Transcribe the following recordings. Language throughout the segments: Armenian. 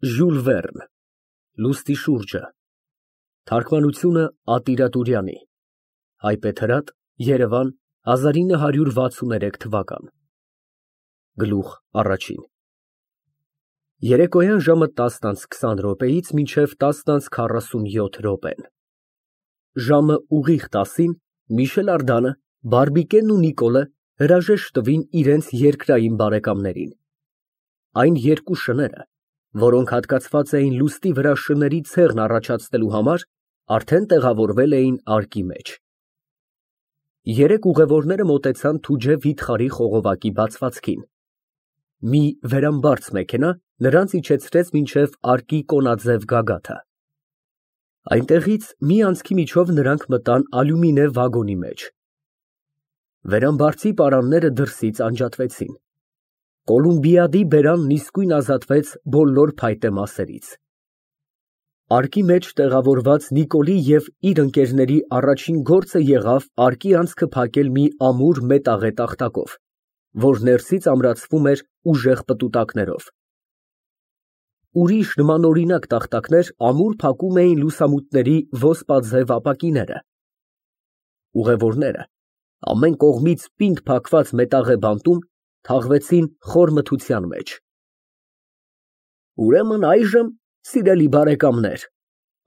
Ժյուլ Վերն, Լուստի շուրջը, թարգմանությունը Ատիրա Տուրյանի, Հայբեթրատ, Երևան 1963 Գլուխ առաջին Երեկոյան ժամը 10:20-ից մինչև 10:47 Ժամը ուղիղ 10-ին Միշել Արդանը, Բարբիկենն ու Նիկոլը հրաժեշտ տվին իրենց երկրային բարեկամներին։ Այն երկու շները, որոնք հատկացված էին լուստի վրա շների ցեղն առաջացնելու համար, արդեն տեղավորվել էին արկի մեջ։ Երեք ուղևորները մոտեցան Թուջե վիթխարի խողովակի բացվածքին։ Մի վերամբարձ մեքենա նրանց իջեցրեց մինչև արկի կոնաձև գագաթը։ Այնտեղից մի անցքի միջով նրանք մտան ալյումինե վագոնի մեջ։ Վերամբարձի պարանները դրսից անջատվեցին։ Կոլումբիադի բերանն իսկույն ազատվեց բոլոր փայտե մասերից։ Արկի մեջ տեղավորված Նիկոլի և իր ընկերների առաջին գործը եղավ արկի անցքը փակել մի ամուր մետաղե տախտակով, որ ներսից ամրացվում էր ուժեղ պտուտակներով։ Ուրիշ նմանօրինակ տախտակներ ամուր փակում էին լուսամուտների ոսպաձև ապակիները։ Ուղևորները ամեն կողմից պինդ փակված մետաղե բանտում թաղվեցին խոր մթության մեջ։ Ուրեմն այժմ, սիրելի բարեկամներ,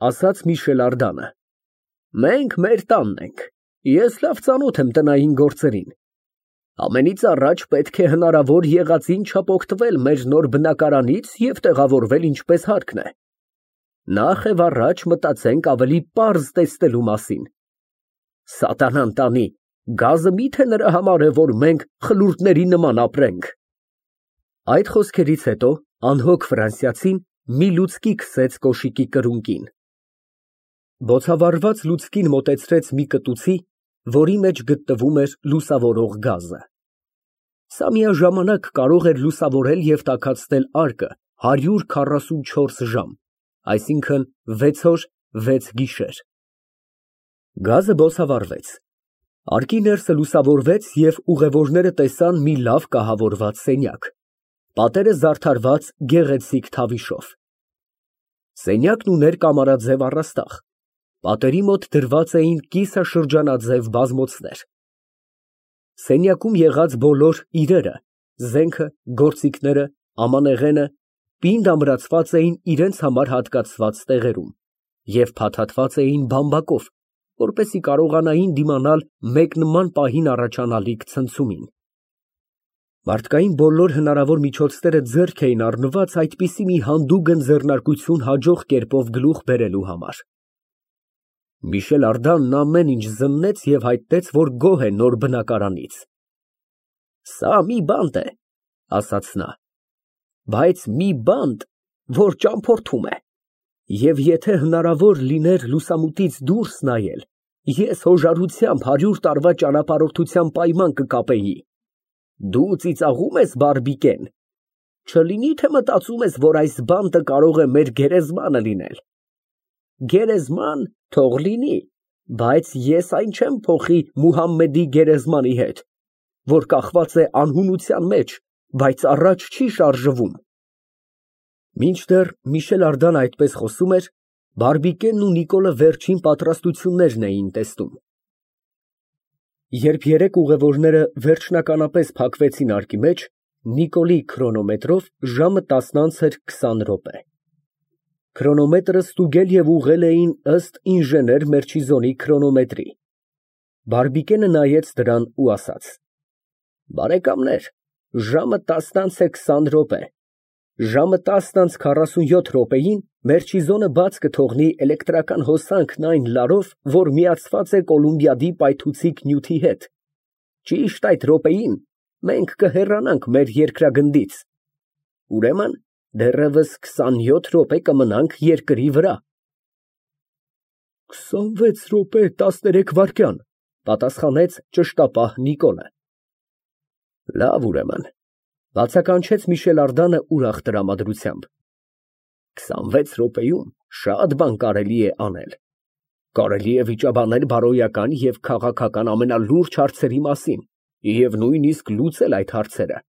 ասաց Միշել Արդանը, մենք մեր տանն ենք, ես լավ ծանոթ եմ տնային գործերին։ Ամենից առաջ պետք է հնարավոր եղածին չափ օգտվել մեր նոր բնակարանից և տեղավորվել ինչպես հարկն է։ Նախ և առաջ մտածենք ավելի պարզ տեսնելու մասին։ Սատանան տանի, գազը մի՞թե նրա համար է, որ մենք խլուրդների նման ապրենք։ Այդ խոսքերից հետո անհոգ ֆրանսիացին մի լուցկի քսեց կոշիկի կրունկին։ Բոցավառված լուցկին մոտեցրեց մի կտուցի, որի մեջ գտնվում էր լուսավորող գազը։ Սա միաժամանակ կարող էր լուսավորել և տաքացնել արկը 144 ժամ, այսինքն 6 օր, 6 գիշեր։ Գազը բոցավառվեց։ Արկի ներսը լուսավորվեց և ուղևորները տեսան մի լավ կահավորված սենյակ, պատերը զարդարված գեղեցիկ թավիշով։ Սենյակն ուներ կամարաձև առաստաղ, պատերի մոտ դրված էին կիսաշրջանաձև բազմոցներ։ Սենյակում եղած բոլոր իրերը, զենքը, գործիքները, ամանեղենը պինդ ամրացված էին իրենց համար հատկացված տեղերում և փաթաթված էին բամբակով, որպեսզի կարողանային դիմանալ մեկ նման պահին առաջանալիք ցնցումին։ Մարդկային բոլոր հնարավոր միջոցները ձեռք էին առնված այդպիսի մի հանդուգն ձեռնարկություն հաջող կերպով գլուխ բերելու համար։ Միշել Արդանն ամեն ինչ զննեց և հայտնեց, որ գոհ է նոր բնակարանից։ Սա մի բանտ է, ասաց նա, բայց մի բանտ, որ ճամփորդում է, և եթե հնարավոր լիներ լուսամուտից դուրս նայել, ես հոժարությամբ 100 տարվա ճանապարհորդության պայման կկապեի։ Դու ծիծաղում ես, Բարբիկեն, չլինի թե մտածում ես, որ այս բանտը կարող է մեր գերեզմանը լինել։ Գերեզման թող լինի, բայց ես այն չեմ փոխի Մուհամմեդի գերեզմանի հետ, որ կախված է անհունության մեջ, բայց առաջ չի շարժվում։ Մինչդեռ Միշել Արդան այդպես խոսում էր, Բարբիկենն ու Նիկոլը վերջին պատրաստություններն էին տեսնում։ Երբ երեք ուղևորները վերջնականապես փակվեցին արկի մեջ, Նիկոլի քրոնոմետրով ժամը 10:20 Քրոնոմետրը ստուգել և ուղղել էին ըստ ինժեներ Մերչիզոնի քրոնոմետրի։ Բարբիկենը նայեց դրան ու ասաց. Բարեկամներ, ժամը 10:20 Ժամը 10:47 Մերչիզոնը բաց կթողնի էլեկտրական հոսանքն այն լարով, որ միացված է Կոլումբիադի պայթուցիկ նյութի հետ։ Ճիշտ այդ րոպեին մենք կհեռանանք մեր երկրագնդից։ Ուրեմն դեռևս 27 րոպե կմնանք երկրի վրա։ 26 րոպե 13 վայրկյան, պատասխանեց ճշտապահ Նիկոլը։ Լավ, ուրեմն, բացականչեց Միշել Արդանը ուրախ տրամադրությամբ։ 26 րոպեում շատ բան կարելի է անել։ Կարելի է վիճաբանել բարոյական և քաղաքական ամենալուրջ հարցերի մասին և նույնիսկ լուծել այդ հարցերը։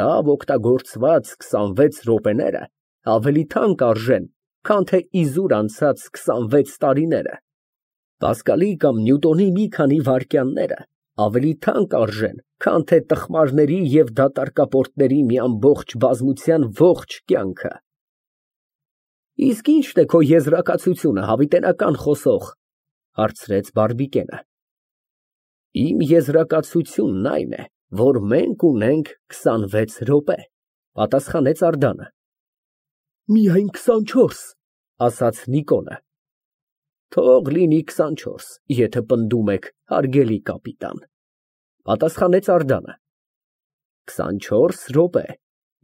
Լավ օգտագործված 26 րոպեները ավելի թանկ արժեն, քան թե իզուր անցած 26 տարիները։ Պասկալի կամ Նյուտոնի մի քանի վայրկյանները ավելի թանկ արժեն, քան թե տխմարների և դատարկապորտների մի ամբողջ բազմության ողջ կյանքը։ Իսկ ի՞նչն է քո եզրակացությունը, հավիտենական խոսող, հարցրեց Բարբիկենը։ Իմ եզրակացությունն այն է, որ մենք ունենք 26 րոպե, պատասխանեց Անդրեասը։ Միայն 24, ասաց Նիկոլը։ Թող լինի 24, եթե պնդում եք, հարգելի կապիտան, պատասխանեց Անդրեասը։ 24 րոպե,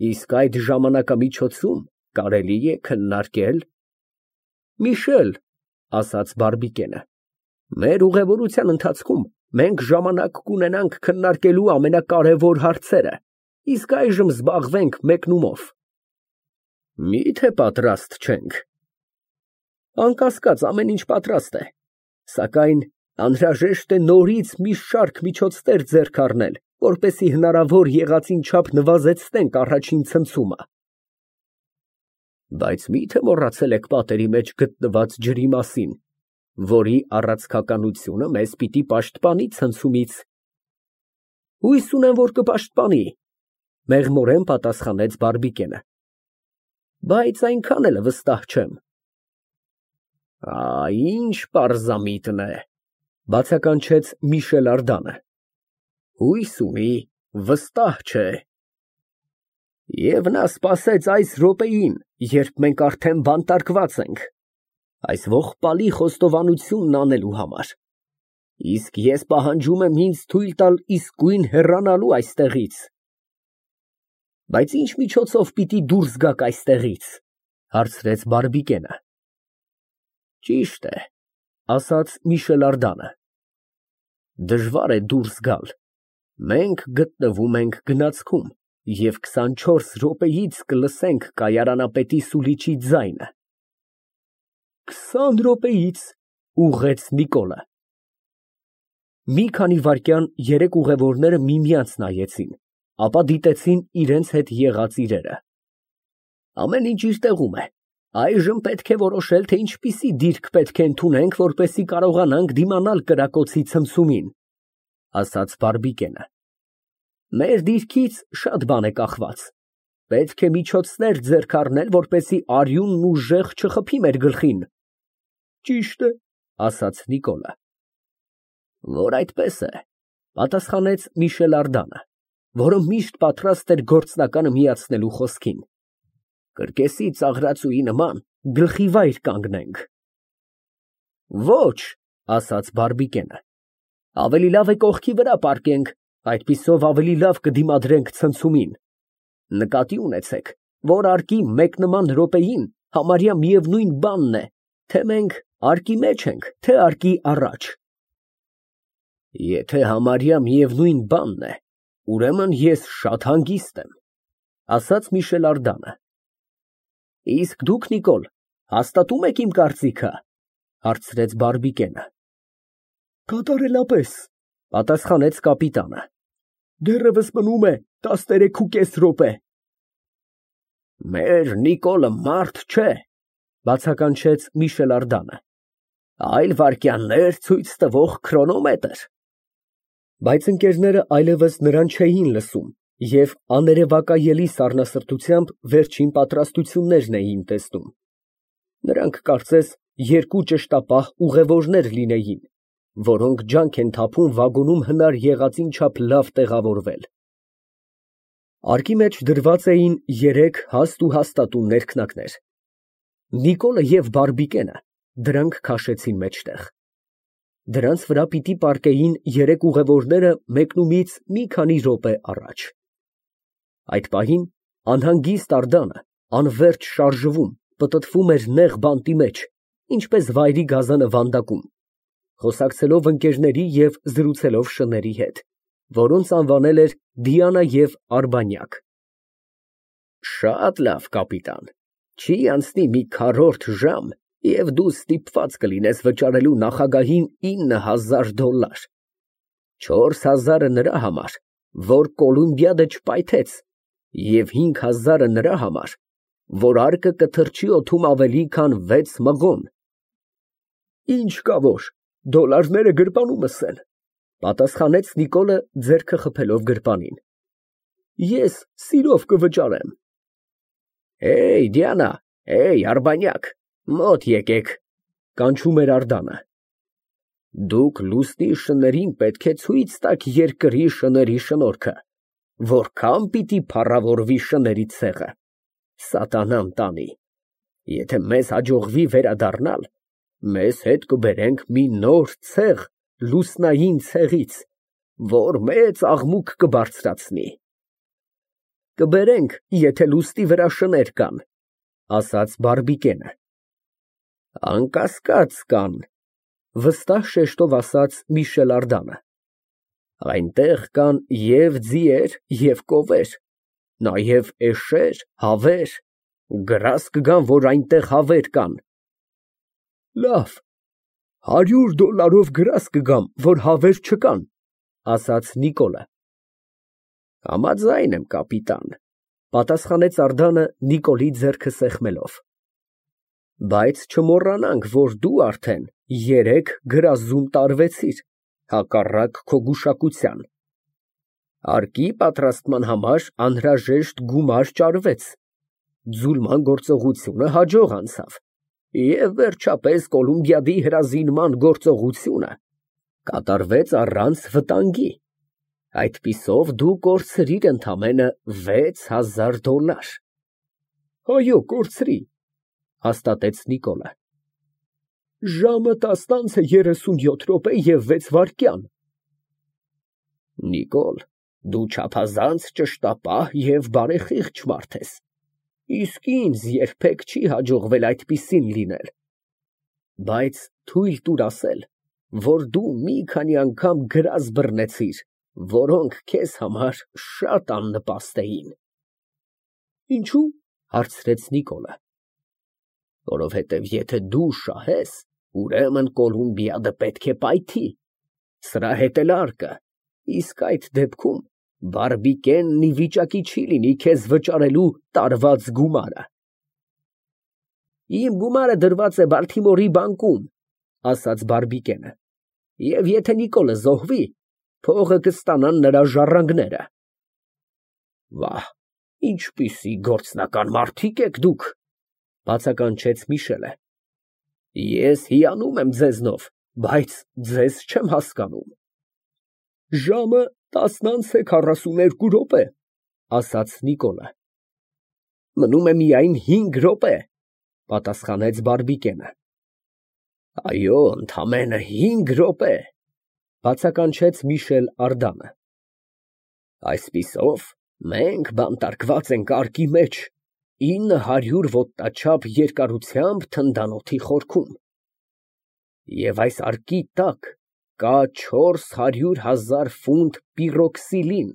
իսկ այդ ժամանակամիջոցում կարելի է քննարկել։ Միշել, ասաց Բարբիկենը, մեր ուղևորության ընթացքում մենք ժամանակ կունենանք քննարկելու ամենակարևոր հարցերը, իսկ այժմ զբաղվենք մեկնումով։ Միթե պատրաստ չենք։ Անկասկած, ամեն ինչ պատրաստ է, սակայն անհրաժեշտ է նորից մի շարք միջոցներ ձեռք առնել, որպեսզի հնարավոր եղածին չափ նվազեցնենք առաջին ցնցումը։ Բայց միթե մոռացել եք պատերի մեջ գտնված ջրի մասին, որի առացքականությունը մեզ պիտի պաշտպանի ցնցումից։ Հույս ունեմ, որ կպաշտպանի, մեղմորեն պատասխանեց Բարբիկենը։ Բայց այնքան էլ վստահ չեմ։ Ինչ պարզամիտն է, բացականչեց Միշել Անդրեասը։ Հույս ունի, վստահ չէ։ Եվ նա սպասեց այս րոպեին, երբ մենք արդեն բանտարկված ենք, այս ողբալի խոստովանությունն անելու համար։ Իսկ ես պահանջում եմ ինձ թույլ տալ իսկույն հեռանալու այստեղից։ Բայց ինչ միջոցով պիտի դուրս գաք այստեղից, հարցրեց Բարբիկենը։ Ճիշտ է, ասաց Միշել Անդրեասը։ Դժվար է դուրս գալ։ Մենք գտնվում ենք գնացքում և 24 րոպեից կլսենք կայարանապետի սուլիչի ձայնը։ 20 րոպեից, ուղղեց Նիկոլը։ Մի քանի վայրկյան երեք ուղևորները միմյանց նայեցին, ապա դիտեցին իրենց հետ եղած իրերը։ Ամեն ինչ իր տեղում է։ Այժմ պետք է որոշել, թե ինչպիսի դիրք պետք է ընդունենք, որպեսզի կարողանանք դիմանալ կրակոցի ցնցումին, ասաց Բարբիկենը։ Մեր դիրքից շատ բան է կախված։ Պետք է միջոցներ ձեռք առնել, որպեսզի արյունն ուժեղ չխփի մեր գլխին։ Ճիշտ է, ասաց Նիկոլը։ Որ այդպես է, պատասխանեց Միշել Անդրեասը, որը միշտ պատրաստ էր գործնականը միացնելու խոսքին։ Կրկեսի ծաղրածուի նման գլխի վայր կանգնենք։ Ոչ, ասաց Բարբիկենը։ Ավելի լավ է կողքի վրա պառկենք, այդպիսով ավելի լավ կդիմադրենք ցնցումին։ Նկատի ունեցեք, որ արկի մեկնման րոպեին համարյա միևնույն բանն է, թե մենք արկի մեջ ենք, թե արկի առաջ։ Եթե համարյա միևնույն բանն է, ուրեմն ես շատ հանգիստ եմ, ասաց Միշել Անդրեասը։ Իսկ դուք, Նիկոլ, հաստատում եք իմ կարծիքը, հարցրեց Բարբիկենը։ Կատարելապես, պատասխանեց կապիտանը։ Դեռևս մնում է 13.5 րոպե։ Մեր Նիկոլը մարդ չէ, բացականչեց Միշել Անդրեասը, այլ վայրկյաններ ցույց տվող քրոնոմետր։ Բայց ընկերները այլևս նրան չէին լսում և աներևակայելի սառնասրտությամբ վերջին պատրաստություններն էին տեսնում։ Նրանք կարծես երկու ճշտապահ ուղևորներ լինեին, որոնք ջանք են թափում վագոնում հնար եղածին չափ լավ տեղավորվել։ Արկի մեջ դրված էին երեք հաստ ու հաստատուն ներքնակներ։ Նիկոլը և Բարբիկենը դրանք քաշեցին մեջտեղ։ Դրանց վրա պիտի պառկեին երեք ուղևորները մեկնումից մի քանի րոպե առաջ։ Այդ պահին անհանգիստ Անդրեասը անվերջ շարժվում, պտտվում էր նեղ բանտի մեջ, ինչպես վայրի գազանը վանդակում, խոսակցելով ընկերների և զրուցելով շների հետ, որոնց անվանել էր Դիանա և Արբանյակ։ Շատ լավ, կապիտան, չի անցնի մի քառորդ ժամ, և դու ստիպված կլինես վճարելու նախագահին $9,000, 4,000-ը նրա համար, որ Կոլումբիադը չպայթեց, և 5,000-ը նրա համար, որ արկը կթրջի օդում ավելի քան 6 մղոն։ Ինչ կա որ, դոլարները գրպանումս են, պատասխանեց Նիկոլը ձեռքը խփելով գրպանին։ Ես սիրով կվճարեմ։ Էй, Դիանա, էй, արբանյակ, մոտ եկեք, կանչում էր Ардանը։ Դուք լուսնի շներին պետք է ցույց տաք երկրի շների շնորհքը, որքան պիտի փառավորվի շների ցեղը, սատանան տանի։ Եթե մեզ հաջողվի վերադառնալ, մեզ հետ կբերենք մի նոր ցեղ լուսնային ցեղից, որ մեծ աղմուկ կբարձրացնի։ Կբերենք, եթե լուսնի վրա շներ կան, ասաց Բարբիկենը։ Անկասկած կան, վստահ շեշտով ասաց Միշել Ардանը։ Այնտեղ կան և ձիեր, և կովեր, նաև էշեր, հավեր, գրազ կգան, որ այնտեղ հավեր կան։ Լավ, $100 գրազ կգամ, որ հավեր չկան, ասաց Նիկոլը։ Համաձայն եմ, կապիտան, պատասխանեց Ардանը Նիկոլի ձեռքը սեղմելով։ Բայց չմոռանանք, որ դու արդեն 3 գրազում տարվեցիր, հակառակ քո գուշակության։ Արկի պատրաստման համար անհրաժեշտ գումար ճարվեց, ձուլման գործողությունը հաջող անցավ, և վերջապես Կոլումբիադի հրազինման գործողությունը կատարվեց առանց վտանգի, այդպիսով դու կորցրիր ընդամենը $6000։ Այո, կորցրի, հաստատեց Նիկոլը։ Ժամը 10:37 Նիկոլ, դու չափազանց ճշտապահ և բարեխիղճ մարդ ես, իսկ ինձ երբեք չի հաջողվել այդպիսին լինել, բայց թույլ տուր ասել, որ դու մի քանի անգամ գրազ բռնեցիր, որոնք քեզ համար շատ աննպաստ էին։ Ինչու՞, հարցրեց Նիկոլը։ Որովհետև եթե դու շահես, ուրեմն Կոլումբիադը պետք է պայթի, սրա հետ էլ արկը, իսկ այդ դեպքում Բարբիկենն ի վիճակի չի լինի քեզ վճարելու տարված գումարը։ Իմ գումարը դրված է Բալթիմորի բանկում, ասաց Բարբիկենը, և եթե Նիկոլը զոհվի, փողը կստանան նրա ժառանգները։ Վահ, ինչպիսի գործնական մարդիկ եք դուք, բացականչեց Միշելը։ Ես հիանում եմ ձեզնով, բայց ձեզ չեմ հասկանում։ Ժամը 10:42, ասաց Նիկոլը։ Մնում է միայն 5 րոպե, պատասխանեց Բարբիկենը։ Այո, ընդամենը 5 րոպե, բացականչեց Միշել Ардանը։ Այսպիսով, մենք բանտարկված ենք արկի մեջ 900 ոտնաչափ երկարությամբ թնդանոթի խորքում, և այս արկի տակ կա 400,000 ֆունտ պիրոքսիլին,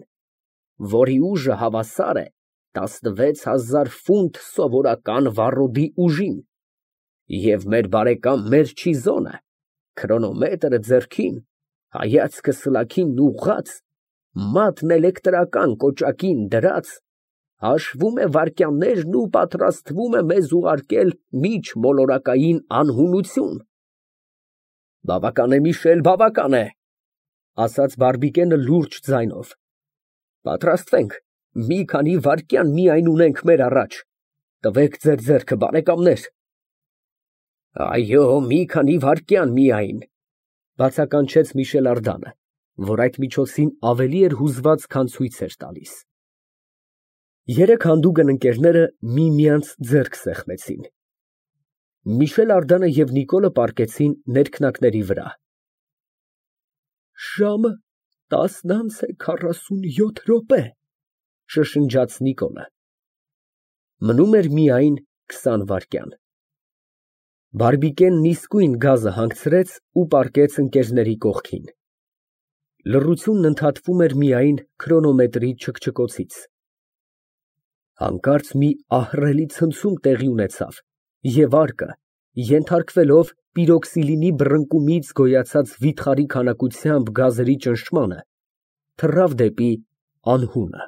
որի ուժը հավասար է 16,000 ֆունտ սովորական վառոդի ուժին, և մեր բարեկամ Մերչիզոնը, քրոնոմետրը ձեռքին, հայացքը սլաքին ուղղած, մատն էլեկտրական կոճակին դրած, հաշվում է վայրկյաններն ու պատրաստվում է մեզ ուղարկել միջմոլորակային անհունություն։ Բավական է, Միշել, բավական է, ասաց Բարբիկենը լուրջ ձայնով։ Պատրաստվենք, մի քանի վայրկյան միայն ունենք մեր առաջ, տվեք ձեր ձեռքը, բարեկամներ։ Այո, մի քանի վայրկյան միայն, բացականչեց Միշել Ардանը, որ այդ միջոցին ավելի էր հուզված, քան ցույց էր տալիս։ Երեք հանդուգն ընկերները միմյանց ձեռք սեղմեցին։ Միշել Ардանը և Նիկոլը պառկեցին ներքնակների վրա։ Ժամը 10:47, շշնջաց Նիկոլը։ Մնում էր միայն 20 վայրկյան։ Բարբիկենն իսկույն գազը հանգցրեց ու պառկեց ընկերների կողքին։ Լռությունն ընդհատվում էր միայն քրոնոմետրի չկչկոցից։ Հանկարծ մի ահռելի ցնցում տեղի ունեցավ, և արկը, ենթարկվելով պիրոքսիլինի բռնկումից գոյացած վիթխարի քանակությամբ գազերի ճնշմանը, թռավ դեպի անհունը։